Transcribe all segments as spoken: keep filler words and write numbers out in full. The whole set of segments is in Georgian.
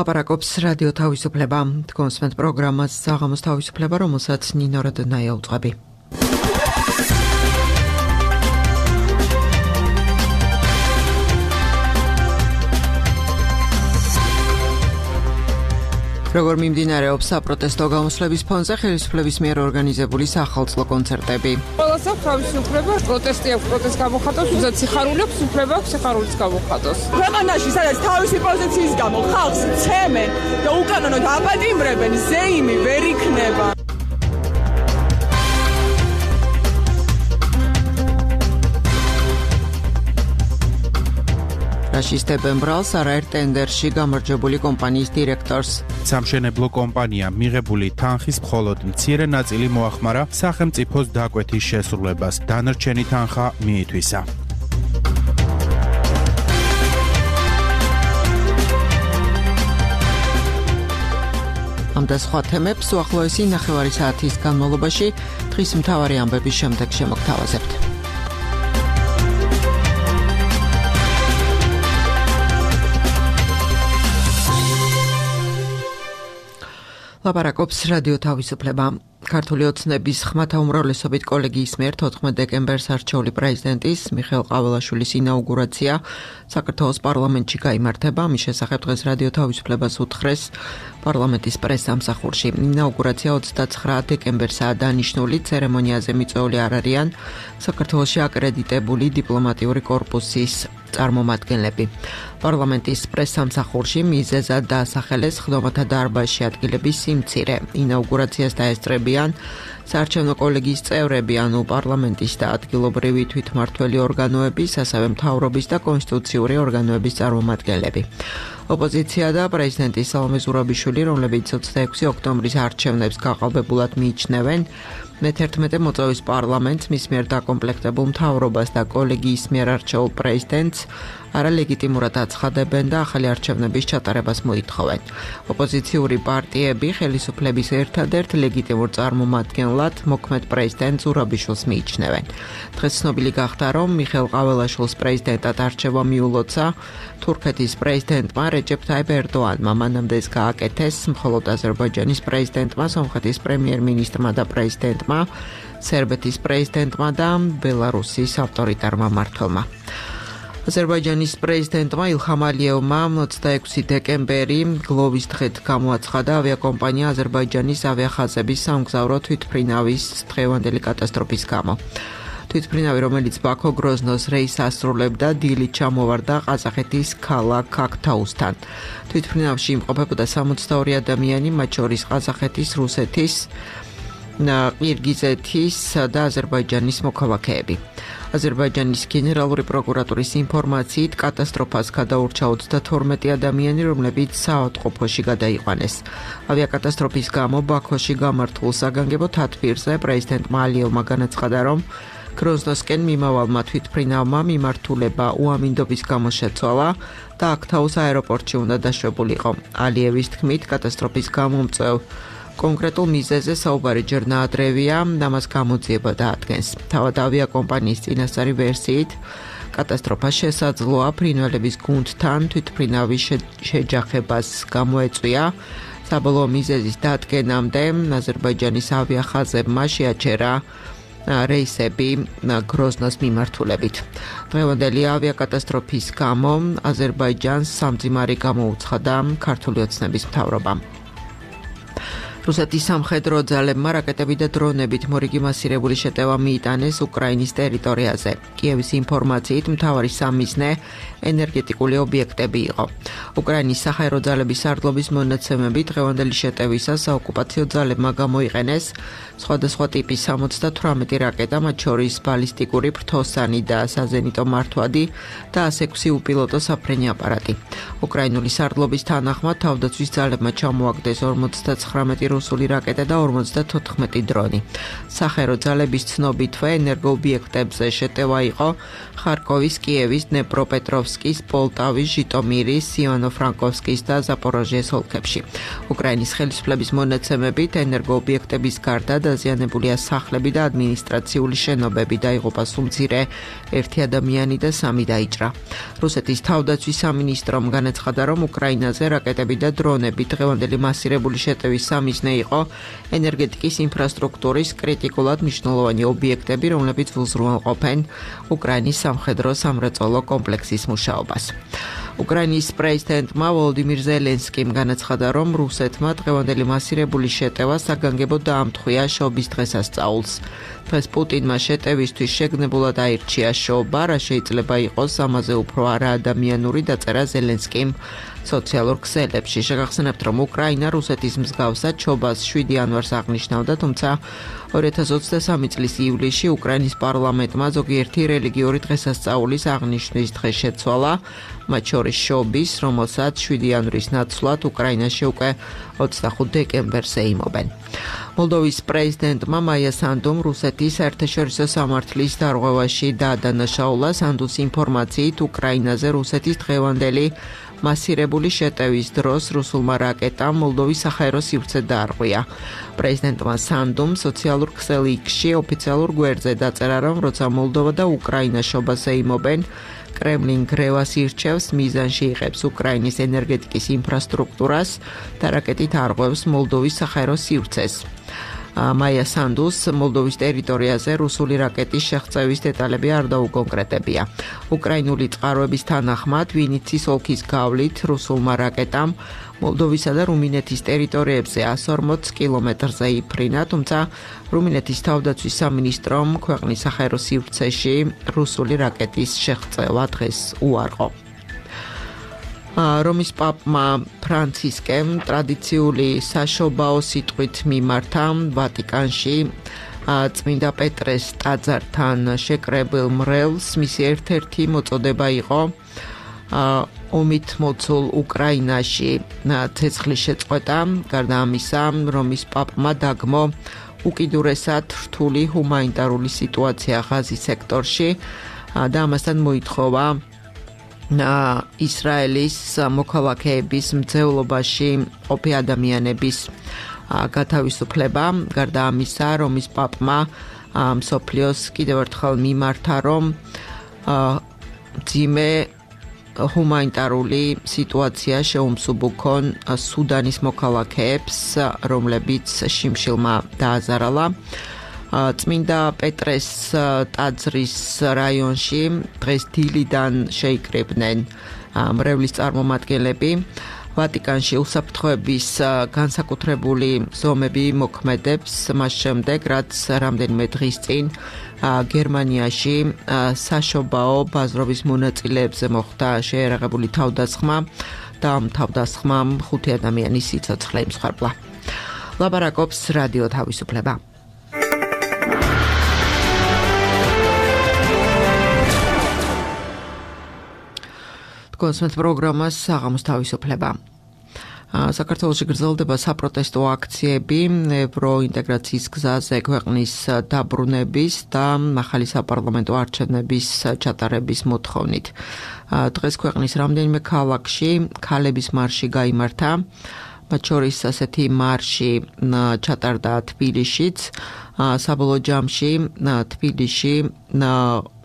ლაპარაკობს რადიო თავისუფლება. თქვენს პროგრამას საღამოს თავისუფლება, რომელსაც ნინო როდნაია უძღვები. როგორ მიმდინარეობს საპროტესტო გამოსვლების ფონზე ხელისუფლების მიერ ორგანიზებული სახალხო კონცერტები. ყველას აქვს თავისი უფლება, პროტესტი აქვს, პროტესტს გამოხატავს, ვისაც სიხარული აქვს, უფლება აქვს სიხარულის გამოხატოს. ქვეყანაში, სადაც თავისი პოზიციის გამო ხალხს ცემენ და უკანონოდ აპატიმრებენ, ზეიმი ვერ იქნება. რაშისტებენ ბრალს არაერთ ტენდერში გამარჯვებული კომპანიის დირექტორს. სამშენებლო კომპანიამ მიღებული თანხის მხოლოდ მცირე ნაწილი მოახმარა სახელმწიფოს დაკვეთის შესრულებას, დანარჩენი თანხა მიითვისა. ამ და სხვა თემებს უახლოესი ნახევარი საათის განმავლობაში დღის მთავარი ამბების შემდეგ შემოგთავაზებთ. ლაპარაკობს რადიო თავისუფლება. ქართული ოცნების ხმათა უმრავლესობით კოლეგიის მიერ თოთხმეტ დეკემბერს არჩეული პრეზიდენტის მიხეილ ყაველაშვილის ინაუგურაცია საქართველოს პარლამენტში გაიმართება. მის შესახებ დღეს რადიო თავისუფლებას უთხრეს პარლამენტის პრესსამსახურში. ინაუგურაცია ოცდაცხრა დეკემბერსაა დანიშნული. ცერემონიაზე მიწვეული არ არიან საქართველოში აკრედიტებული დიპლომატიური კორპუსის წარმომადგენლები. პარლამენტის პრესსამსახურში მიზეზად დაასახელეს ხდომათა დარბაზში ადგილების სიმცირე. ინაუგურაციას დაესწრებიან საარჩევნო კოლეგიის წევრები, ანუ პარლამენტის და ადგილობრივი თვითმმართველი ორგანოების, ასევე მთავრობის და კონსტიტუციური ორგანოების წარმომადგენლები. ოპოზიცია და პრეზიდენტი სალომე ზურაბიშვილი, რომლებიც ოცდაექვსი ოქტომბრის არჩევნებს გაყალბებულად მიიჩნევენ, მეთერთმეტე მოწვევის პარლამენტს, მის მიერ დაკომპლექტებულ მთავრობას და კოლეგიის მიერ არჩეულ პრეზიდენტს არალეგიტიმურად აცხადებენ და ახალი არჩევნების ჩატარებას მოითხოვენ. ოპოზიციური პარტიები ხელისუფლების ერთადერთ ლეგიტიმურ წარმომადგენლად მოქმედ პრეზიდენტ ზურაბიშვილს მიიჩნევენ. დღეს ცნობილი გახდა, რომ მიხეილ ყაველაშვილს პრეზიდენტად არჩევა მიულოცა თურქეთის პრეზიდენტმა რეჯეფ ტაიპ ერდოანმა. მანამდე ეს გააკეთეს მხოლოდ აზერბაიჯანის პრეზიდენტმა, სომხეთის პრემიერ-მინისტრმა და პრეზიდენტმა, სერბეთის პრეზიდენტმა და ბელარუსის ავტორიტარმა მმართველმა. აზერბაიჯანის პრეზიდენტმა ილჰამ ალიევმა ოცდაექვსი დეკემბერი გლოვის დღედ გამოაცხადა ავიაკომპანია აზერბაიჯანის ავიახაზების სამგზავრო თვითმფრინავის დღევანდელი კატასტროფის გამო. თვითმფრინავი, რომელიც ბაქო გროზნოს რეისს ასრულებდა, დილით ჩამოვარდა ყაზახეთის ქალაქ აქტაუსთან. თვითმფრინავში იმყოფებოდა სამოცდაორი ადამიანი, მათ შორის ყაზახეთის, რუსეთის, ყირგიზეთის და აზერბაიჯანის მოქალაქეები. აზერბაიჯანის გენერალური პროკურატურის ინფორმაციით კატასტროფას გადაურჩა ოცდათორმეტი ადამიანი, რომლებიც საავადმყოფოში გადაიყვანეს. ავიაკატასტროფის გამო ბაქოში გამართულ საგანგებო თათბირზე პრეზიდენტმა ალიევმა განაცხადა, რომ გროზნოსკენ მიმავალმა თვითმფრინავმა მიმართულება უამინდობის გამო შეცვალა და აქტაუს აეროპორტში უნდა დაშვებულიყო. ალიევის თქმით, კატასტროფის გამომწვევ კონკრეტულ მიზეზზე საუბარი ჯერ ნაადრევია, და მას გამოძიება დაადგენს. თავად ავიაკომპანიის წინასწარი ვერსიით, კატასტროფა შესაძლოა ფრინველების გუნდთან თვითმფრინავის შეჯახებას გამოეწვია. საბოლოო მიზეზის დადგენამდე აზერბაიჯანის ავიახაზებმა შეაჩერა რეისები გროზნოს მიმართულებით. დღევანდელი ავიაკატასტროფის გამო აზერბაიჯანს სამძიმარი გამოუცხადა ქართული ოცნების მთავრობამ. რუსეთის სამხედრო ძალებმა რაკეტები და დრონებით მორიგი მასირებული შეტევა მიიტანეს უკრაინის ტერიტორიაზე. კიევის ინფორმაციით, მთავარი სამიზნე ენერგეტიკული ობიექტები იყო. უკრაინის საჰაერო ძალების სარდლობის მონაცემები დღევანდელი შეტევისას საოკუპაციო ძალებმა გამოიყენეს სხვადასხვა ტიპის სამოცდათვრამეტი რაკეტა, მათ შორის ბალისტიკური ფრთოსანი და საზენიტო მართვადი და ასი ექვსი უპილოტო საფრენი აპარატი. უკრაინული სარდლობის თანახმად თავდაცვის ძალებმა ჩამოაგდეს ორმოცდაცხრამეტი რუსული რაკეტა და ორმოცდათოთხმეტი დრონი. სახერო ძალების ცნობითვე ენერგოობიექტებზე შეტევა იყო ხარკოვის, კიევის, დნეპროპეტროვსკის, პოლტავის, ჟიტომირის, ივანო-ფრანკოვსკის და ზაპოროჟიეს ოლქებში. უკრაინის ხელისუფლების მონაცემებით ენერგოობიექტების გარდა დაზიანებულია სახლები და ადმინისტრაციული შენობები, დაიღუპა სულ-მცირე ერთი ადამიანი და სამი დაიჭრა. რუსეთის თავდაცვის სამინისტრომ განაცხადა, რომ უკრაინაზე რაკეტები და დრონები დღევანდელი მასირებული შეტევის სამიზნე იყო ენერგეტიკის ინფრასტრუქტურის კრიტიკულად მნიშვნელოვანი ობიექტები, რომლებიც უზრუნველყოფენ უკრაინის სამხედრო სამრეწველო კომპლექსის მუშაობას. უკრაინის პრეზიდენტმა ვოლოდიმირ ზელენსკიმ განაცხადა, რომ რუსეთმა დღევანდელი მასირებული შეტევა საგანგებოდ დაამთხვია შობის დღესასწაულს. დღეს პუტინმა შეტევისთვის შეგნებულად აირჩია შობა, რა შეიძლება იყოს ამაზე უფრო არაადამიანური, დაწერა ზელენსკიმ სოციალურ ქსელებში. შეგახსენებთ, რომ უკრაინა რუსეთის მსგავსად შობას შვიდი იანვარს აღნიშნავდა, თუმცა ორი ათას ოცდასამი წლის ივლისში უკრაინის პარლამენტმა ზოგიერთი რელიგიური დღესასწაულის აღნიშვნის დღე შეცვალა, მათ შორის შობის, რომელსაც შვიდი იანვრის ნაცვლად უკრაინაში უკვე ოცდახუთ დეკემბერს ეიმობენ. მოლდოვის პრეზიდენტმა მაია სანდუმ რუსეთის საერთაშორისო სამართლის დარღვევაში დაადანაშაულა. სანდუს ინფორმაციით უკრაინაზე რუსეთის დღევანდელი მასირებული შეტევის დროს რუსულმა რაკეტამ მოლდოვის საჰაერო სივრცე დაარღვია. პრეზიდენტმა სანდუმ სოციალურ ქსელ იქსში ოფიციალურ გვერდზე დაწერა, რომ როცა მოლდოვა და უკრაინა შობას ეიმობენ, კრემლინ გრევას ირჩევს, მიზანში იღებს უკრაინის ენერგეტიკის ინფრასტრუქტურას და რაკეტით არღვევს მოლდოვის საჰაერო სივრცეს. მაია სანდუს მოლდოვის ტერიტორიაზე რუსული რაკეტის შეღწევის დეტალები არ დაუკონკრეტებია. უკრაინული წყაროების თანახმად, ვინიცის ოლქის გავლით რუსულმა რაკეტამ მოლდოვისა და რუმინეთის ტერიტორიებზე εκατს ორმოც კილომეტრზე იფრინა, თუმცა რუმინეთის თავდაცვის სამინისტრომ ქვეყნის საჰაერო სივრცეში რუსული რაკეტის შეღწევა დღეს უარყო. რომის პაპმა ფრანცისკემ ტრადიციული საშობაო სიტყვით მიმართა ვატიკანში წმინდა პეტრეს ტაძართან შეკრებილ მრევლს. მისი ერთ-ერთი მოწოდება იყო ომით მოცულ უკრაინაში ცეცხლის შეწყვეტა. გარდა ამისა, რომის პაპმა დაგმო უკიდურესად რთული ჰუმანიტარული სიტუაცია ღაზის სექტორში და ამასთან მოითხოვა ისრაელის მოქალაქეების მძევლობაში ყოფი ადამიანების გათავისუფლება. გარდა ამისა, რომის პაპმა მსოფლიოს კიდევ ერთხელ მიმართა, რომ ძიმე ჰუმანიტარული სიტუაცია შეუმსუბუქონ სუდანის მოქალაქეებს, რომლებიც შიმშილმა დააზარალა. წმინდა პეტრეს ტაძრის რაიონში დღეს დილიდან შეიკრიბნენ მრევლის წარმომადგენლები. ვატიკანში უსაფრთხოების განსაკუთრებული ზომები მოქმედებს მას შემდეგ, რაც რამდენიმე დღის წინ გერმანიაში საშობაო ბაზრობის მონაწილეებზე მოხდა შეერაღებული თავდასხმა და ამ თავდასხმამ ხუთი ადამიანის სიცოცხლე იმსხვერპლა. ლაპარაკობს რადიო თავისუფლება. კონსმეთ პროგრამას საღამოს თავისუფლება. საქართველოში გრძელდება საპროტესტო აქციები ევროინტეგრაციის გზაზე ქვეყნის დაბრუნების და ახალი საპარლამენტო არჩევნების ჩატარების მოთხოვნით. დღეს ქვეყნის რამდენიმე ქალაქში ქალების მარში გაიმართა. მათ შორის ასეთი მარში ჩატარდა თბილისშიც. საბოლოო ჯამში თბილისში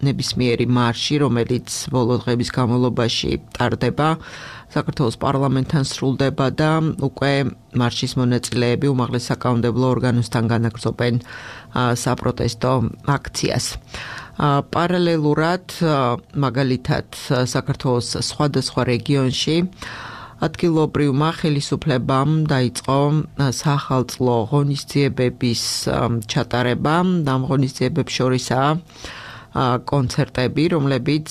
ნებისმიერი მარში, რომელიც ბოლო დღების განმავლობაში ტარდება, საქართველოს პარლამენტთან სრულდება და უკვე მარშის მონაწილეები უმაღლეს საკანონმდებლო ორგანოსთან განაგრძობენ საპროტესტო აქციას. პარალელურად, მაგალითად, საქართველოს სხვადასხვა რეგიონში ადგილობრივმა ხელისუფლებამ დაიწყო სახალხო ღონისძიებების ჩატარება. ამ ღონისძიებებს შორისაა კონცერტები, რომლებიც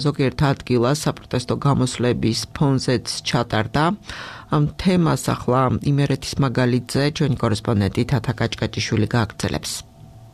ზოგიერთ ადგილას საპროტესტო გამოსვლების ფონზეც ჩატარდა. ამ თემას ახლა იმერეთის მაგალითზე ჩვენი კორესპონდენტი თათა კაჭკაჭიშვილი გააგრძელებს.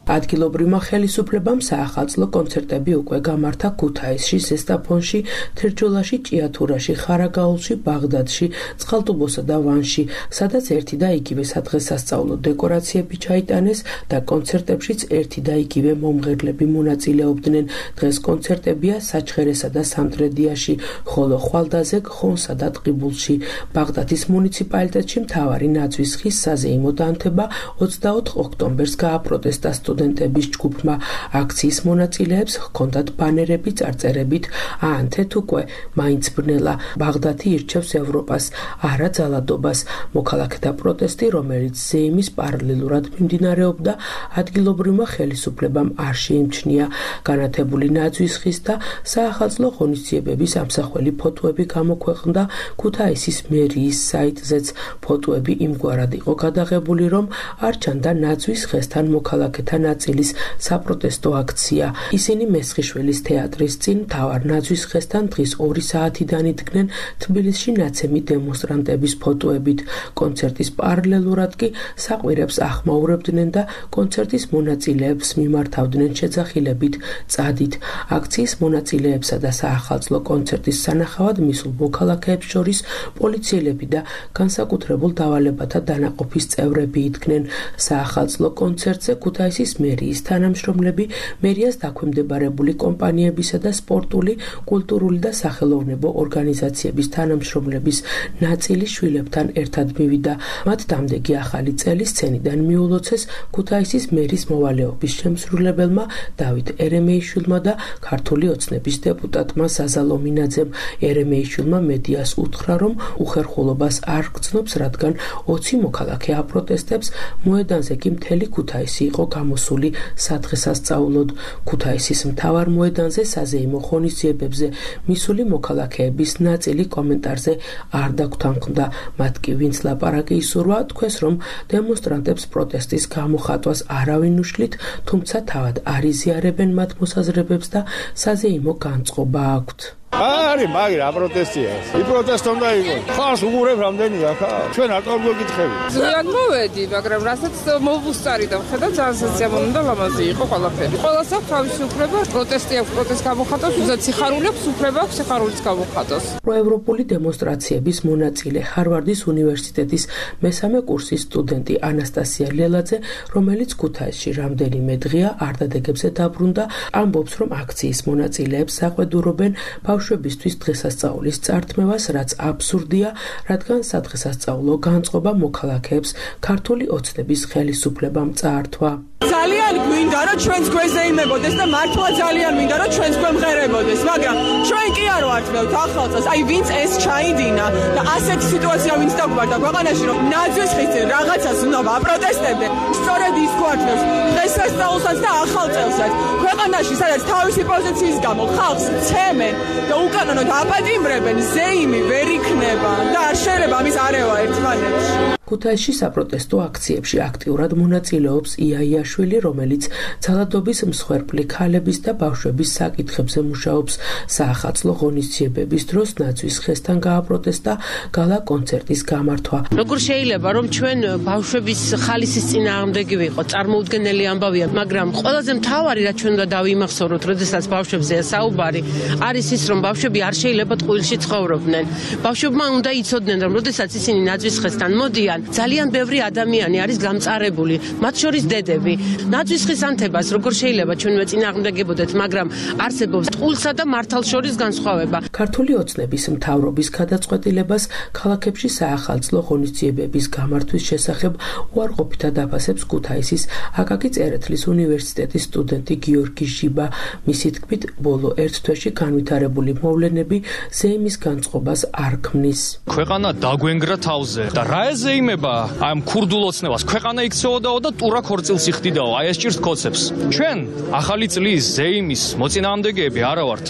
ადგილობრივმა ხელისუფლებამ საახალწლო კონცერტები უკვე გამართა ქუთაისში, ზესტაფონში, თერჯოლაში, ჭიათურაში, ხარაგაულში, ბაღდადში, წყალტუბოსა და ვანში, სადაც ერთი და იგივე სადღესასწაულო დეკორაციები ჩაიტანეს და კონცერტებშიც ერთი და იგივე მომღერლები მონაწილეობდნენ. დღეს კონცერტებია საჩხერესა და სამტრედიაში, ხოლო ხვალდაზე, ხონსა და ტყიბულში. ბაღდადის მუნიციპალიტეტში მთავარი ნაძვის ხის საზეიმო დანთება ოცდაოთხ ოქტომბერს გააპროტესტა სტუდენტების ჯგუფმა. აქციის მონაწილეებს ჰქონდათ ბანერები წარწერებით აანთეთ უკვე მაინც ბრნელა, ბაღდადი ირჩევს ევროპას, არა ძალადობას. მოქალაქეთა პროტესტი, რომელიც ზეიმის პარალელურად მიმდინარეობდა, ადგილობრივმა ხელისუფლებამ არ შეიმჩნია. განათებული ნაძვის ხის და საახალწლო ღონისძიებების ამსახველი ფოტოები გამოქვეყნდა ქუთაისის მერიის საიტზეც. ფოტოები იმგვარად იყო გადაღებული, რომ არ ჩანდა ნაძვის ხესთან მოქალაქეთა ნაწილის საპროტესტო აქცია. ისინი მესხიშვილის თეატრის წინ მთავარ ნაძვის ხესთან დღის ორი საათიდან იდგნენ თბილისში ნაცემი დემონსტრანტების ფოტოებით. კონცერტის პარალელურად კი საყვირებს ახმაურებდნენ და კონცერტის მონაწილეებს მიმართავდნენ შეძახილებით წადით. აქციის მონაწილეებსა და საახალწლო კონცერტის სანახავად მისულ მოქალაქეებს შორის პოლიციელები და განსაკუთრებულ დავალებათა დანაყოფის წევრები იდგნენ. საახალწლო კონცერტზე ქუთაისის მერიის თანამშრომლები, მერიას დაქვემდებარებული კომპანიებისა და სპორტული, კულტურული და სახელოვნებო ორგანიზაციების თანამშრომლების ნაწილი შვილებთან ერთად მივიდა. მათ დამდეგი ახალი წელი სცენიდან მიულოცეს ქუთაისის მერის მოვალეობის შემსრულებელმა დავით ერემეიშვილმა და ქართული ოცნების დეპუტატმა ზაზა ლომინაძემ. ერემეიშვილმა მედიას უთხრა, რომ უხერხულობას არ გრძნობს, რადგან ოცი მოქალაქე აპროტესტებს, მოედანზე კი მთელი ქუთაისი იყო გამოსული სადღესასწაულოდ. ქუთაისის მთავარ მოედანზე საზეიმო ღონისძიებებზე მისული მოქალაქეების ნაწილი კომენტარზე არ დაგვთანხმდა. მათ კი ვინც ლაპარაკი ისურვა, თქვეს, რომ დემონსტრანტებს პროტესტის გამოხატვას არავინ უშლით, თუმცა თავად არ იზიარებენ მათ მოსაზრებებს და საზეიმო განწყობა აქვთ. არის მაგრამ პროტესტია. ი პროტესტ უნდა იყოს. ხარს უღურებ რამდენია ხა? ჩვენ არ გავგეკითხები. ზიან მოვედი, მაგრამ რასაც მოვუსწარი და ხედავ ძალიან სასიამოვნო და ლამაზი იყო ყველაფერი. ყველას აქვს თავისი უფლება, პროტესტი აქვს, პროტესტ გამოხატოს, ვისაც სიხარული აქვს, უფლება აქვს სიხარულიც გამოხატოს. პროევროპული დემონსტრაციების მონაწილე ჰარვარდის უნივერსიტეტის მესამე კურსის სტუდენტი ანასტასია ლელაძე, რომელიც ქუთაისში რამდენიმე დღეა არდადეგებზე დაბრუნდა, ამბობს, რომ აქციის მონაწილეებს საყვედურობენ ბავშვებისთვის დღესასწაულის წართმევას, რაც აბსურდია, რადგან სადღესასწაულო განწყობა მოქალაქეებს ქართული ოცნების ხელისუფლებამ წაართვა. ძალიან გვინდა რომ ჩვენს გვერდზე იმებოდეს და მართლა ძალიან მინდა რომ ჩვენს გვემღერებოდეს, მაგრამ ჩვენ კი არ ვართ მევთ ახალწელს, აი ვინც ეს ჩაიდინა და ასეთი სიტუაცია ვინც დაგვარდა ქვეყანაში, რომ ნაძვის ხის წინ რაღაცას უნდა ვაპროტესტებდე, სწორედ ის გვართმევს დღესასწაულსაც და ახალწელსაც. ქვეყანაში სადაც თავისი პოზიციის გამო ხალხს ცემენ და უკანონოდ აპატიმრებენ, ზეიმი ვერ იქნება და არ შეიძლება ამის არევა ერთმანეთში. ქუთაისში საპროტესტო აქციებში აქტიურად მონაწილეობს იაიაშვილი, რომელიც ძალადობის მსხვერპლი ქალების და ბავშვების საკითხებზე მუშაობს. საახალწლო ღონისძიებების დროს ნაძვის ხესთან გააპროტესტა გალა კონცერტის გამართვა. როგორ შეიძლება რომ ჩვენ ბავშვების ხალისის წინააღმდეგი ვიყოთ, წარმოუდგენელი ამბავია, მაგრამ ყველაზე მთავარი რაც ჩვენ უნდა დავიმახსოვროთ, როდესაც ბავშვებზეა საუბარი, არის ის, რომ ბავშვები არ შეიძლება ტყუილში ცხოვრობდნენ. ბავშვებმა უნდა იცოდნენ, რომ როდესაც ისინი ნაძვის ხესთან მოდიან, ძალიან ბევრი ადამიანი არის გამწარებული, მათ შორის დედები. ნაძვის ხის ანთებას როგორ შეიძლება ჩვენ მეწინააღმდეგებოდეთ, მაგრამ არსებობს ტყუილსა და მართალს შორის განსხვავება. ქართული ოცნების მთავრობის გადაწყვეტილებას ქალაქებში საახალწლო ღონისძიებების გამართვის შესახებ უარყოფითად აფასებს ქუთაისის აკაკი წერეთლის უნივერსიტეტის სტუდენტი გიორგი ჟიბა. მისი თქმით, ბოლო ერთ თვეში განვითარებული მოვლენები ზეიმის განწყობას არ ქმნის. ქვეყანა დაგვენგრა თავზე და რა ეზეიმება ამ ქურდულ ოცნებას? ქვეყანა იქცეოდაო და ტურა ქორწილს იხდიდაო, აი ეს ჭირს კოცებს. ჩვენ ახალი წლის ზეიმის მოწინააღმდეგეები არა ვართ.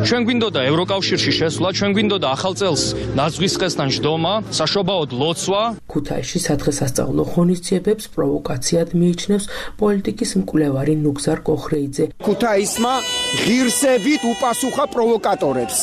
ჩვენ გვინდოდა ევროკავშირში შესვლა, ჩვენ გვინდოდა ახალ წელს ნაძვის ხესთან ჯდომა, საშობაოდ ლოცვა. ქუთაისში სადღესასწაულო ღონისძიებებს პროვოკაციად მიიჩნევს პოლიტიკის მკვლევარი ნუგზარ კოხრეიძე. ქუთაისმა ღირსებით უპასუხა პროვოკატორებს,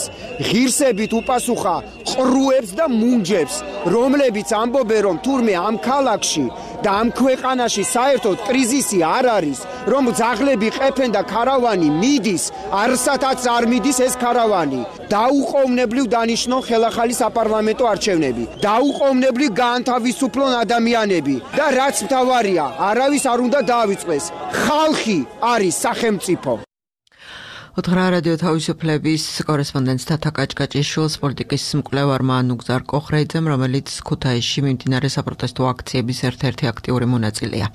ღირსებით უპასუხა ყრუებს და მუნჯებს, რომლებიც ამბობენ, რომ თურმე ამ ქალაქში და ამ ქვეყანაში საერთოდ კრიზისი არ არის, რომ ძაღლები ყეფენ და ქარავანი მიდის, არსათაც არ მიდის ეს ქარავანი. დაუყოვნებლივ დანიშნონ ხელახალი საპარლამენტო არჩევნები. დაუყოვნებლივ გაანთავისუფლონ ადამიანები და რაც მთავარია, არავის არ უნდა დაავიწყდეს. ხალხი არის სახელმწიფო. ოთხრა რადიო თავისუფლების კორესპონდენტ თათა კაჭკაჭიშვილს პოლიტიკის მკვლევარმა ნუგზარ კოხრეიძემ, რომელიც ქუთაისში მიმდინარე საპროტესტო აქციების ერთ-ერთი აქტიური მონაწილეა.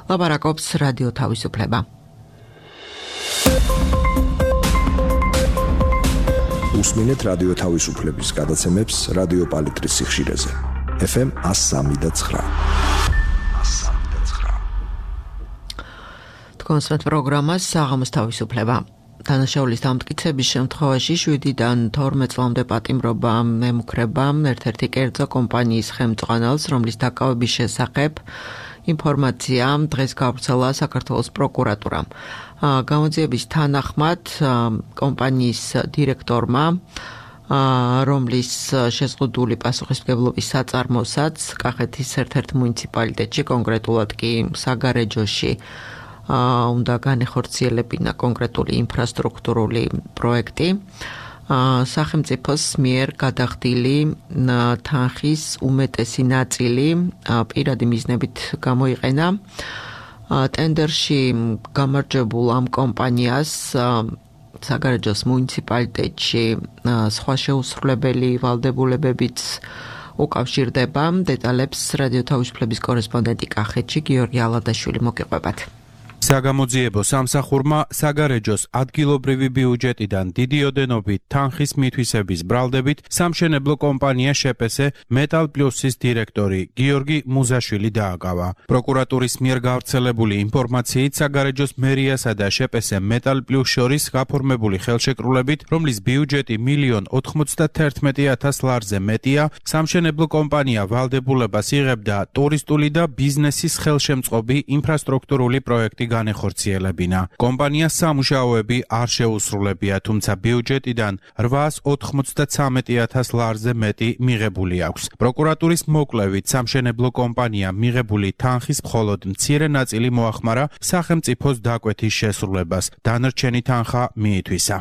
ლაპარაკობს რადიო თავისუფლება. უსმინეთ რადიო თავისუფლების გადაცემებს რადიო პალიტრის სიხშირეზე. ეფ ემ one oh three და nine. თქვენს პროგრამას საღამოს თავისუფლება. დანაშაულის დამტკიცების შემთხვევაში შვიდიდან თორმეტ წლამდე პატიმრობა ემუქრება ერთ-ერთი კერძო კომპანიის ხელმძღვანელს, რომლის დაკავების შესახებ ინფორმაცია დღეს გავრცელა საქართველოს პროკურატურამ. გამოძიების თანახმად კომპანიის დირექტორმა, რომლის შეზღუდული პასუხისმგებლობის საწარმოსაც კახეთის ერთ-ერთ მუნიციპალიტეტში, კონკრეტულად კი საგარეჯოში უნდა განეხორციელებინა კონკრეტული ინფრასტრუქტურული პროექტი. სახელმწიფოს მიერ გადახდილი თანხის უმეტესი ნაწილი პირადი მიზნებით გამოიყენა. ტენდერში გამარჯვებულ ამ კომპანიას საგარეჯოს მუნიციპალიტეტში სხვა შეუსრულებელი ვალდებულებებიც უკავშირდება. დეტალებს რადიო თავისუფლების კორესპონდენტი კახეთში გიორგი ალადაშვილი მოგიყვებათ. საგამოძიებო სამსახურმა საგარეჯოს ადგილობრივი ბიუჯეტიდან დიდი ოდენობით თანხის მითვისების ბრალდებით სამშენებლო კომპანია შეპესე მეტალ პლუსის დირექტორი გიორგი მუზაშვილი დააკავა. პროკურატურის მიერ გავრცელებული ინფორმაციით საგარეჯოს მერიასა და შეპესე მეტალ პლუს შორის გაფორმებული ხელშეკრულებით, რომლის ბიუჯეტი მილიონ ოცდაათი ათას ლარზე მეტია, სამშენებლო კომპანია ვალდებულებას იღებდა ტურისტული და ბიზნესის ხელშემწყობი ინფრასტრუქტურული პროექტი განეხორციელებინა. კომპანიას სამუშაოები არ შეუსრულებია, თუმცა ბიუჯეტიდან რვაას ოცდათვრამეტი ათას ლარზე მეტი მიღებული აქვს. პროკურატურის მოკვლევით სამშენებლო კომპანია მიღებული თანხის მხოლოდ მცირე ნაწილი მოახმარა სახელმწიფოს დაკვეთის შესრულებას, დანარჩენი თანხა მიითვისა.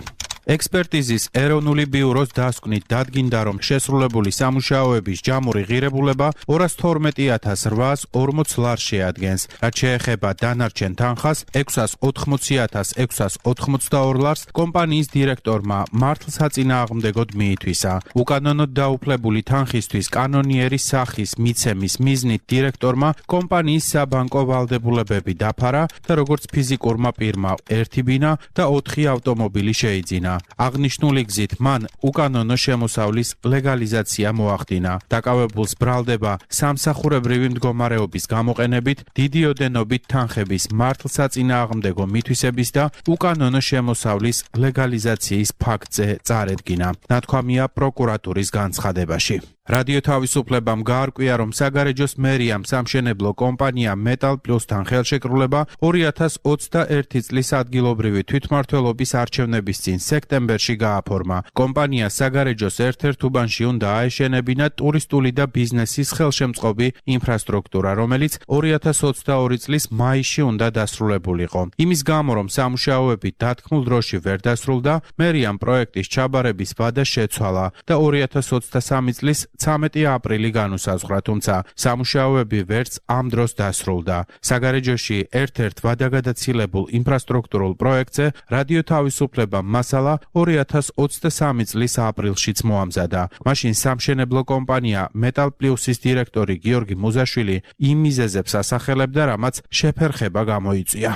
ექსპერტიზის ეროვნული ბიუროს დასკვნით დადგინდა, რომ შესრულებული სამუშაოების ჯამური ღირებულება ორას თორმეტი ათას რვაას ორმოც ლარს შეადგენს, რაც შეეხება დანარჩენ თანხას ექვსას ოთხმოცი ათას ექვსას ოცდაორ ლარს კომპანიის დირექტორმა მართლსაწინააღმდეგოდ მიითვისა. უკანონოდ დაუფლებული თანხისთვის კანონიერის სახის მიცემის მიზნით დირექტორმა კომპანიის საბანკო ვალდებულებები დაფარა და როგორც ფიზიკურმა პირმა ერთი ბინა და ოთხი ავტომობილი შეიძინა. აღნიშნული გზით მან უკანონო შემოსავლის ლეგალიზაცია მოახდინა. დაკავებულს ბრალდება სამსახურებრივი მდგომარეობის გამოყენებით დიდი ოდენობით თანხების მართლსაწინააღმდეგო მითვისების და უკანონო შემოსავლის ლეგალიზაციის ფაქტზე წარედგინა. ნათქვამია პროკურატურის განცხადებაში. რადიო თავისუფლებამ გაარკვია, რომ საგარეჯოს მერიამ სამშენებლო კომპანია მეტალ პლუსთან ხელშეკრულება ორი ათას ოცდაერთი წლის ადგილობრივი თვითმმართველობის არჩევნების წინ სექტემბერში გააფორმა. კომპანია საგარეჯოს ერთ-ერთ უბანში უნდა აეშენებინა ტურისტული და ბიზნესის ხელშემწყობი ინფრასტრუქტურა, რომელიც ორი ათას ოცდაორი წლის მაისში უნდა დასრულებულიყო. იმის გამო, რომ სამუშაოები დათქმულ დროში ვერ დასრულდა, მერიამ პროექტის ჩაბარების ვადა შეცვალა და ორი ათას ოცდასამი წლის ცამეტი აპრილი განუსაზღვრა, თუმცა სამუშაოები ვერც ამ დროს დასრულდა. საგარეჯოში ერთ-ერთ ვადაგადაცილებულ ინფრასტრუქტურულ პროექტზე რადიო თავისუფლება მასალა ორი ათას ოცდასამი წლის აპრილშიც მოამზადა. მაშინ სამშენებლო კომპანია მეტალ პლუსის დირექტორი გიორგი მუზაშვილი იმ მიზეზებს ასახელებდა, რამაც შეფერხება გამოიწვია.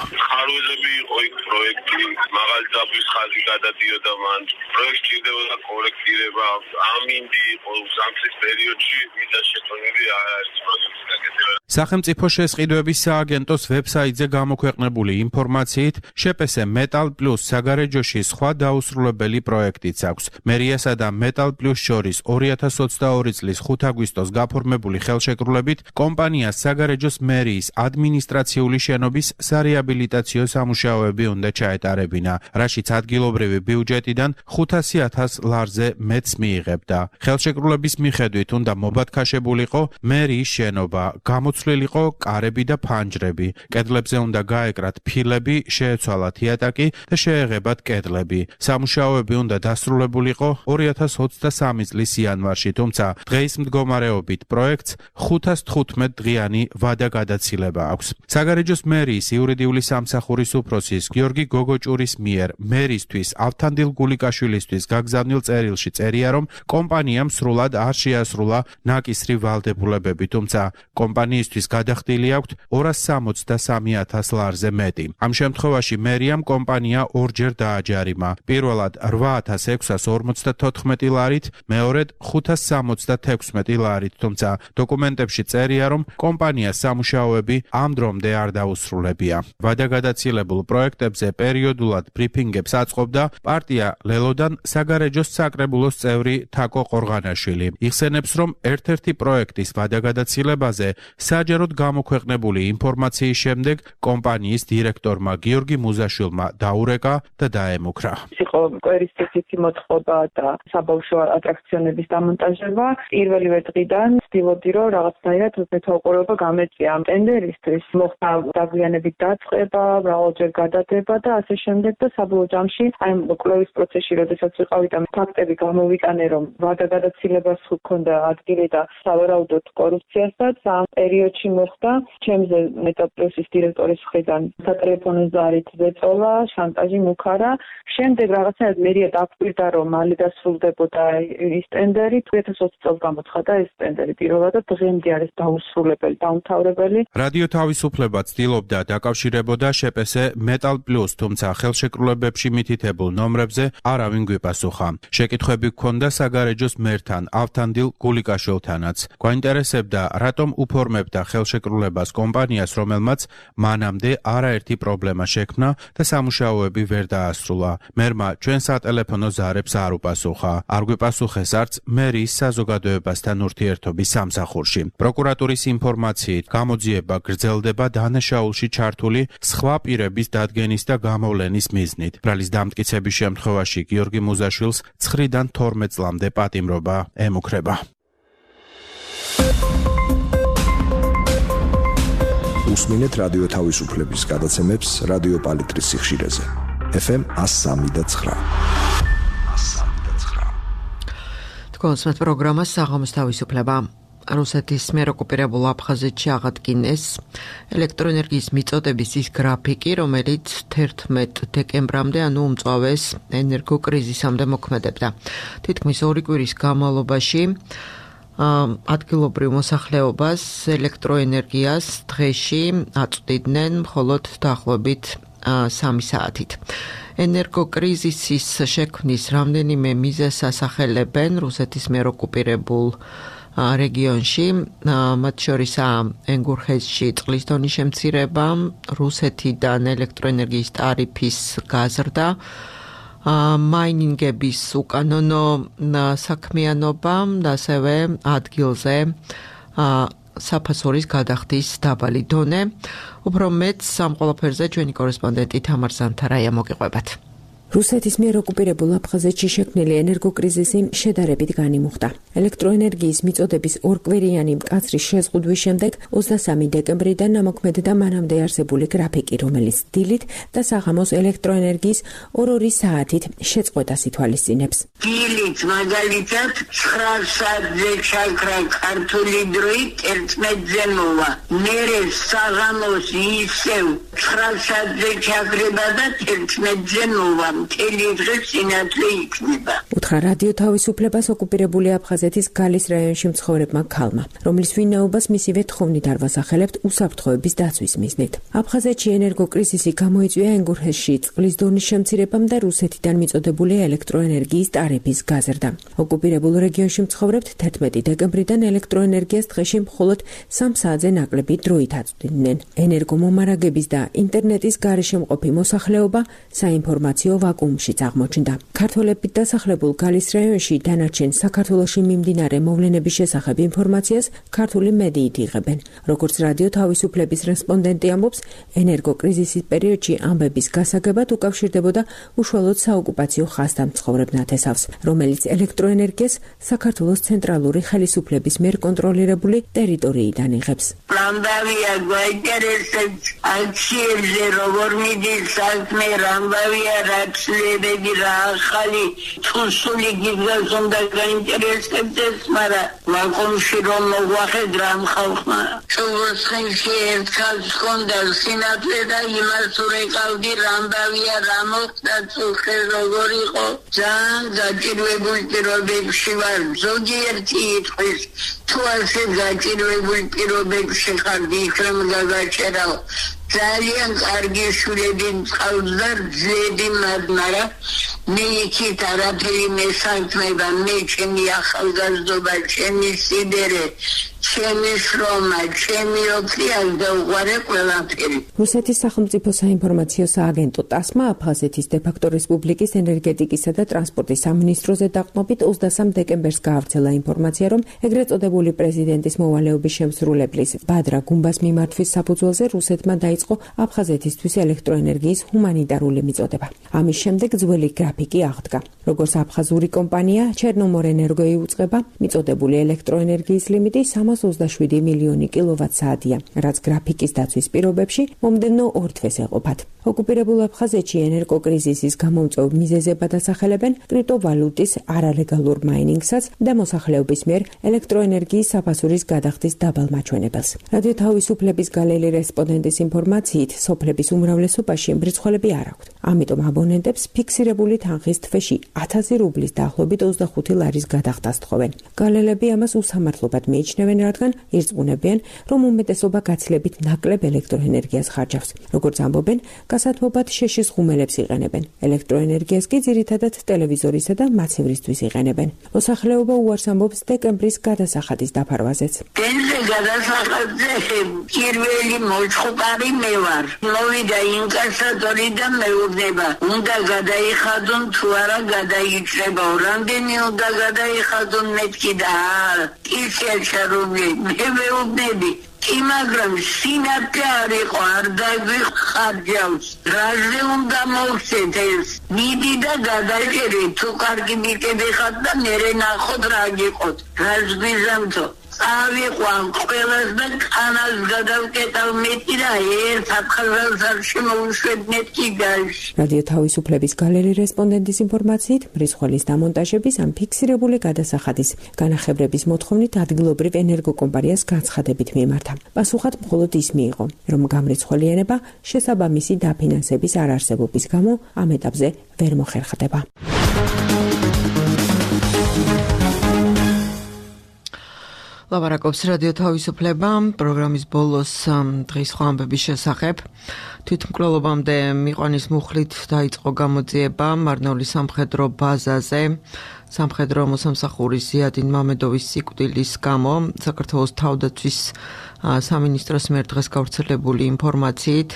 მაღალი ძაბვის ხაზი გადადიოდა მან, პროექტი ჭირდებოდა კორექტირება, ამინდი იყო სამწლის პერიოდში, ვიდა შეტანილი არის პროექტის გაკეთება. სახელმწიფო შესყიდვების სააგენტოს ვებსაიტზე გამოქვეყნებული ინფორმაციით, შეპესე მეტალ პლუს საგარეჯოში სხვა დაუსრულებელი პროექტიც აქვს. მერიასა და მეტალ პლუს შორის ორი ათას ოცდაორი წლის ხუთი აგვისტოს გაფორმებული ხელშეკრულებით კომპანიას საგარეჯოს მერიის ადმინისტრაციული შენობის სარეაბილიტაციო სამუშაოები უნდა ჩაეტარებინა, რაშიც ადგილობრივი ბიუჯეტიდან ხუთასი ათას ლარზე მეტს მიიღებდა. ხელშეკრულების მიხედვით უნდა მობათქაშებულიყო მერიის შენობა, გამოცვლილი შეცვლილიყო კარები და ფანჯრები. კედლებზე უნდა გაეკრათ ფილები, შეეცვალათ იატაკი და შეეღებათ კედლები. სამუშაოები უნდა დასრულებულიყო ორი ათას ოცდასამი წლის იანვარში, თუმცა დღეის მდგომარეობით პროექტს ხუთას თხუთმეტ დღიანი ვადა გადაცილება აქვს. საგარეჯოს მერიის იურიდიული სამსახურის უფროსის გიორგი გოგოჭურის მიერ მერისთვის ავთანდილ გულიკაშვილისთვის გაგზავნილ წერილში წერია, რომ კომპანიამ სრულად არ შეასრულა ნაკისრი ვალდებულებები, თუმცა კომპანიისთვის გადახდილი აქვთ ორას სამოცდასამი ათას ლარზე მეტი. ამ შემთხვევაში მერიამ კომპანია ორჯერ დააჯარიმა. პირველად რვა ათას ექვსას ორმოცდათოთხმეტი ლარით, მეორედ ხუთას სამოცდათექვსმეტი ლარით, თუმცა დოკუმენტებში წერია, რომ კომპანიას სამუშაოები ამ დრომდე არ დაუსრულებია. ვადაგადაცილებულ პროექტებზე პერიოდულად ბრიფინგებს აწყობდა პარტია ლელოდან საგარეჯოს საკრებულოს წევრი თაკო ყორღანაშვილი. იხსენებს, რომ ერთ-ერთი პროექტის ვადაგადაცილებაზე საჯაროდ გამოქვეყნებული ინფორმაციის შემდეგ კომპანიის დირექტორმა გიორგი მუზაშვილმა დაურეკა და დაემუქრა. იყო კვერის წესითი მოთხოვა და საბავშვო ატრაქციონების დამონტაჟება. პირველივე დღიდან ვცდილობდი, რომ რაღაცნაირად მეთვალყურეობა გამეწია ამ ტენდერისთვის. მოხდა დაგვიანებით დაწყება, მრავალჯერ გადადება და ასე შემდეგ და საბოლოო ჯამში აი კვლევის პროცესში, როდესაც ვიყავი და ფაქტები გამოვიტანე, რომ ვადაგადაცილებას ჰქონდა ადგილი და სავარაუდოდ კორუფციასაც ამ პერიოდში მოხდა ჩემზე მეტაპლუსის დირექტორის მხრიდან სატელეფონო ზარით ზეწოლა, შანტაჟი მუქარა. შემდეგ რაღაცნაირად მერია დაგვირდა, რომ მალე დასრულდებოდა ის ტენდერი. ორი ათას ოცი წელს გამოცხადა ეს ტენდერი პირველად და დღემდე არის დაუსრულებელი, დაუმთავრებელი. რადიო თავისუფლება ცდილობდა დაკავშირებოდა შეპესე მეტალ პლუს, თუმცა ხელშეკრულებებში მითითებულ ნომრებზე არავინ გვიპასუხა. შეკითხვები ჰქონდა საგარეჯოს მერთან ავთანდილ გულიკაშვილთანაც. გვაინტერესებდა, რატომ უფორმებდა ხელშეკრულებას კომპანიას, რომელმაც მანამდე არაერთი პრობლემა შექმნა და სამუშაოები ვერ დაასრულა. მერმა ჩვენ სატელეფონო ზარებს არ უპასუხა. არ გვიპასუხეს არც მერიის საზოგადოებასთან ურთიერთობის სამსახურში. პროკურატურის ინფორმაციით გამოძიება გრძელდება დანაშაულში ჩართული სხვა პირების დადგენის და გამოვლენის მიზნით. ბრალის დამტკიცების შემთხვევაში გიორგი მუზაშვილს ცხრიდან თორმეტ წლამდე პატიმრობა ემუქრება. უსმინეთ რადიო თავისუფლების გადაცემებს რადიო პალიტრის სიხშირეზე. ეფ ემ εκατო სამი და ცხრა. თქვენს პროგრამას საღამოს თავისუფლება. რუსეთის მიერ ოკუპირებულ აფხაზეთში აღადგინეს ელექტროენერგიის მიწოდების ის გრაფიკი, რომელიც თერთმეტ დეკემბრამდე, ანუ უმწვავეს ენერგოკრიზისამდე მოქმედებდა. თითქმის ორი კვირის განმავლობაში ადგილობრივ მოსახლეობას ელექტროენერგიას დღეში აწვდიდნენ მხოლოდ დაახლოებით სამი საათით. ენერგოკრიზისის შექმნის რამდენიმე მიზეზს ასახელებენ რუსეთის მიერ ოკუპირებულ რეგიონში, მათ შორისაა ენგურხესში წყლის დონის შემცირება, რუსეთიდან ელექტროენერგიის ტარიფის გაზრდა, მაინინგების უკანონო საქმიანობა და ასევე ადგილზე საფასურის გადახდის დაბალი დონე. უფრო მეტ ამ ყველაფერზე ჩვენი კორესპონდენტი თამარ ზანთარაია მოგიყვებათ. რუსეთის მიერ ოკუპირებულ აფხაზეთში შექმნილი ენერგოკრიზისი შედარებით განიმუხტა. ელექტროენერგიის მიწოდების ორკვირიანი მკაცრი შეზღუდვის შემდეგ ოცდასამი დეკემბრიდან ამოქმედდა მანამდე არსებული გრაფიკი, რომელიც დილით და საღამოს ელექტროენერგიის ორ-ორი საათით შეწყვეტას ითვალისწინებს. დილით მაგალითად ცხრა საათზე ჩაქრა ქართული დროით ერთმეტზე მოვა. მერე საღამოს ისევ ცხრა საათზე ჩაქრება და ერთმეტზე მოვა. უთხრა რადიო თავისუფლებას ოკუპირებული აფხაზეთის გალის რაიონში მცხოვრებმა ქალმა, რომლის ვინაობას მისივე თხოვნით არ ვასახელებთ უსაფრთხოების დაცვის მიზნით. აფხაზეთში ენერგოკრიზისი გამოიწვია ენგურხესში წყლის დონის შემცირებამ და რუსეთიდან მიწოდებული ელექტროენერგიის ტარიფის გაზრდამ. ოკუპირებულ რეგიონში მცხოვრებთ თერთმეტი დეკემბრიდან ელექტროენერგიას დღეში მხოლოდ სამ საათზე ნაკლები დროით აწვდიდნენ. ენერგომომარაგების და ინტერნეტის გარეშე მყოფი მოსახლეობა საინფორმაციო ვაკუუმშიც აღმოჩნდა. ქართველებით დასახლებულ გალის რაიონში დანარჩენ საქართველოში მიმდინარე მოვლენების შესახებ ინფორმაციას ქართული მედიით იღებენ. როგორც რადიო თავისუფლების რესპონდენტი ამბობს, ენერგოკრიზისის პერიოდში ამბების გასაგებად უკავშირდებოდა უშუალოდ საოკუპაციო ხაზთან მცხოვრებ ნათესავს, რომელიც ელექტროენერგიას საქართველოს ცენტრალური ხელისუფლების მიერ კონტროლირებული ტერიტორიიდან იღებს. Rambavia გვაინტერესებს აქციებზე როგორ მიდის საქმე, რამბავია რაცლებები რა ახალი თუსული გიგას უნდა გაინტერესებს ეს, მაგრამ ვაკუუმში რომ მოგვახედრა ამ ხალხმა. ჩუვოსხინში ერთხელ ჰქონდა სინათლე და იმას ურეკავდი რამბავია რა მოხდა წუხე როგორ იყო. ძალიან გაჭირვებულ პირობებში ვარ. ზოგიერთი იტყვის თუ ასე გაჭირვებულ პირობებში ხარ იქნებ გაგაჩერაო. ძალიან კარგი შვილები მწყავს და ძლები, მაგრამ მე იქით არაფერი მესანთმება, მე ჩემი ახალგაზრდობა, ჩემი სიდერე, ჩემი შრომა, ჩემი ოფლია და უყარე ყველაფერი. რუსეთის სახელმწიფო საინფორმაციო სააგენტო ტასმა აფხაზეთის დე-ფაქტო რესპუბლიკის ენერგეტიკისა და ტრანსპორტის სამინისტროზე დაყრდნობით ოცდასამ დეკემბერს გაავრცელა ინფორმაცია, რომ ეგრეთ წოდებული პრეზიდენტის მოვალეობის შემსრულებლის ბადრა გუმბას მიმართვის საფუძველზე რუსეთმა დაიწყო აფხაზეთისთვის ელექტროენერგიის ჰუმანიტარული მიწოდება. ამის შემდეგ ძველი გრაფიკი აღდგა. როგორც აფხაზური კომპანია ჩერნომორენერგო იუწყება, მიწოდებული ელექტროენერგიის ლიმიტი სამას ოცდაშვიდი მილიონი კილოვატ-საათია, რაც გრაფიკის დაცვის პირობებში მომდევნო ორ თვეს ეყოფათ. ოკუპირებულ აფხაზეთში ენერგოკრიზისის გამომწვევ მიზეზებად ასახელებენ კრიპტოვალუტის არალეგალურ მაინინგსაც და მოსახლეობის მიერ ელექტროენერგიის საფასურის გადახდის დაბალ მაჩვენებელს. რადიო თავისუფლების გალელი რესპონდენტის ინფორმაციით, სოფლების უმრავლესობაში მრეცხველები არ აქვთ. ამიტომ აბონენტებს ფიქსირებული თანხის თვეში ათასი რუბლის დაახლოებით ოცდახუთი ლარის გადახდას თხოვენ. გალელები ამას უსამართლობად მიიჩნევენ, რადგან ირწმუნებიან, რომ უმეტესობა გაცილებით ნაკლებ ელექტროენერგიას ხარჯავს. როგორც ამბობენ, გასათბობად შეშის ღუმელებს იყენებენ. ელექტროენერგიას კი ძირითადად ტელევიზორისა და მაცევრისთვის იყენებენ. მოსახლეობა უარს ამბობს დეკემბრის გადასახადის დაფარვაზეც. დენზე გადასახადზე პირველი მოწყობარი მე ვარ. მოვიდა ინკასატორი და მეუბნება, უნდა გადაიხადონ თუ არა გადაიჭრება. რამდენი უნდა გადაიხადონ მეთქი და ისე რუბლი მე მეუბნები. კი, მაგრამ სინათლე არ იყო, არ დაგვიხარჯავს. რაზე უნდა მოვცეთ ეს? მიდი და გადაჭერე, თუ კარგი მიკები ხარ და მერე ნახოთ რა გიყოთ. რას გვიზამთო? წავიყვან ყველას და კანას გადავკეტავ მეტი და ერთ აფხაზელს არ შემოუშვებ მეთქი გაიში. რადიო თავისუფლების გალერი რესპონდენტის ინფორმაციით, მრეცხველის დამონტაჟების ან ფიქსირებული გადასახადის განახევრების მოთხოვნით ადგილობრივ ენერგოკომპანიას განცხადებით მიემართა. პასუხად მხოლოდ ის მიიღო, რომ გამრეცხველიანება შესაბამისი დაფინანსების არარსებობის გამო ამ ეტაპზე ვერ მოხერხდება. ლაპარაკობს რადიო თავისუფლება პროგრამის ბოლოს დღის ხვამბების შესახებ. თვითმკვლელობამდე მიყვანის მუხლით დაიწყო გამოძიება მარნეულის სამხედრო ბაზაზე. სამხედრო მოსამსახურის ზიადინ მამედოვის სიკვდილის გამო საქართველოს თავდაცვის სამინისტროს მიერ დღეს გავრცელებული ინფორმაციით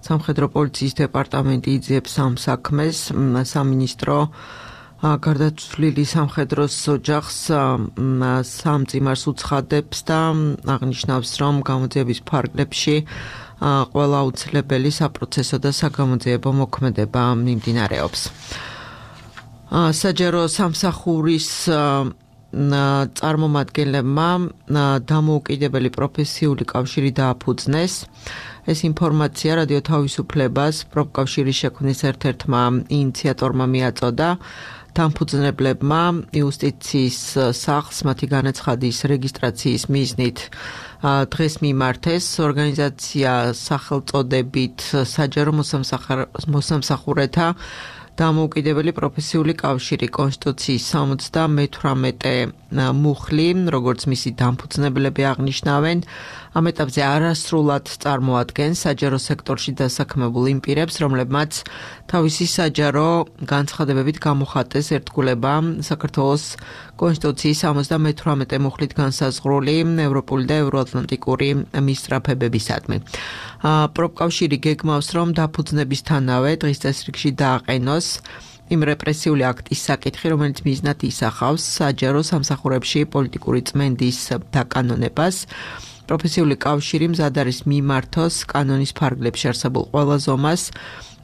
სამხედრო პოლიციის დეპარტამენტი იძიებს ამ საქმეს. სამინისტრო გარდაცვლილი სამხედროს ოჯახს სამ წიმარს უცხადებს და აღნიშნავს, რომ გამოძიების ფარგლებში ყველა აუცილებელი საპროცესო და საგამოძიებო მოქმედება მიმდინარეობს. საჯარო სამსახურის წარმომადგენლებმა დამოუკიდებელი პროფესიული კავშირი დააფუძნეს. ეს ინფორმაცია რადიო თავისუფლებას პროფკავშირის შექმნის ერთ-ერთმა ინიციატორმა მიაწოდა. დამფუძნებლებმა იუსტიციის სახლს მათი განაცხადის რეგისტრაციის მიზნით დღეს მიმართეს. ორგანიზაცია სახელწოდებით საჯარო მოსამსახურეთა დამოუკიდებელი პროფესიული კავშირი კონსტიტუციის სამოცდამეთვრამეტე მუხლი, როგორც მისი დამფუძნებლები აღნიშნავენ, ამ ეტაპზე არასრულად წარმოადგენს საჯარო სექტორში დასაქმებულ იმ პირებს, რომლებმაც თავისი საჯარო განცხადებებით გამოხატეს ერთგულება საქართველოს კონსტიტუციის სამოცდამეთვრამეტე მუხლით განსაზღვრული ევროპული და ევროატლანტიკური მისწრაფებებისადმი. პროფკავშირი გეგმავს, რომ დაფუძნებისთანავე დღის წესრიგში დააყენოს იმ რეპრესიული აქტის საკითხი, რომელიც მიზნად ისახავს საჯარო სამსახურებში პოლიტიკური წმენდის დაკანონებას. პროფესიული კავშირი მზად არის მიმართოს კანონის ფარგლებში არსებულ ყველა ზომას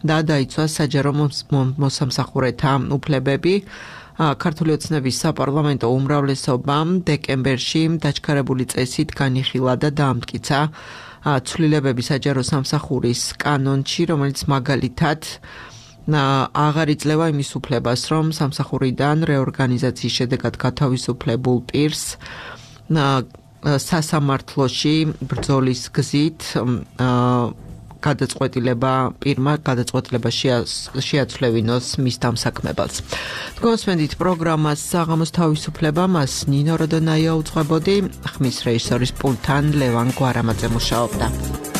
და დაიცვას საჯარო მოსამსახურეთა უფლებები. ქართული ოცნების საპარლამენტო უმრავლესობამ დეკემბერში დაჩქარებული წესით განიხილა და დაამტკიცა ცვლილებები საჯარო სამსახურის კანონში, რომელიც მაგალითად აღარ იძლევა იმის უფლებას, რომ სამსახურიდან რეორგანიზაციის შედეგად გათავისუფლებულ პირს სასამართლოში ბრძოლის გზით გადაწყვეტილება პირმა გადაწყვეტილება შეაცვლევინოს მის დამსაქმებელს. თქვენსმენდით პროგრამას საღამოს თავისუფლება, მას ნინო როდონაია უძღვებოდი, ხმის რეჟისორის პულტთან ლევან გვარამაძე მუშაობდა.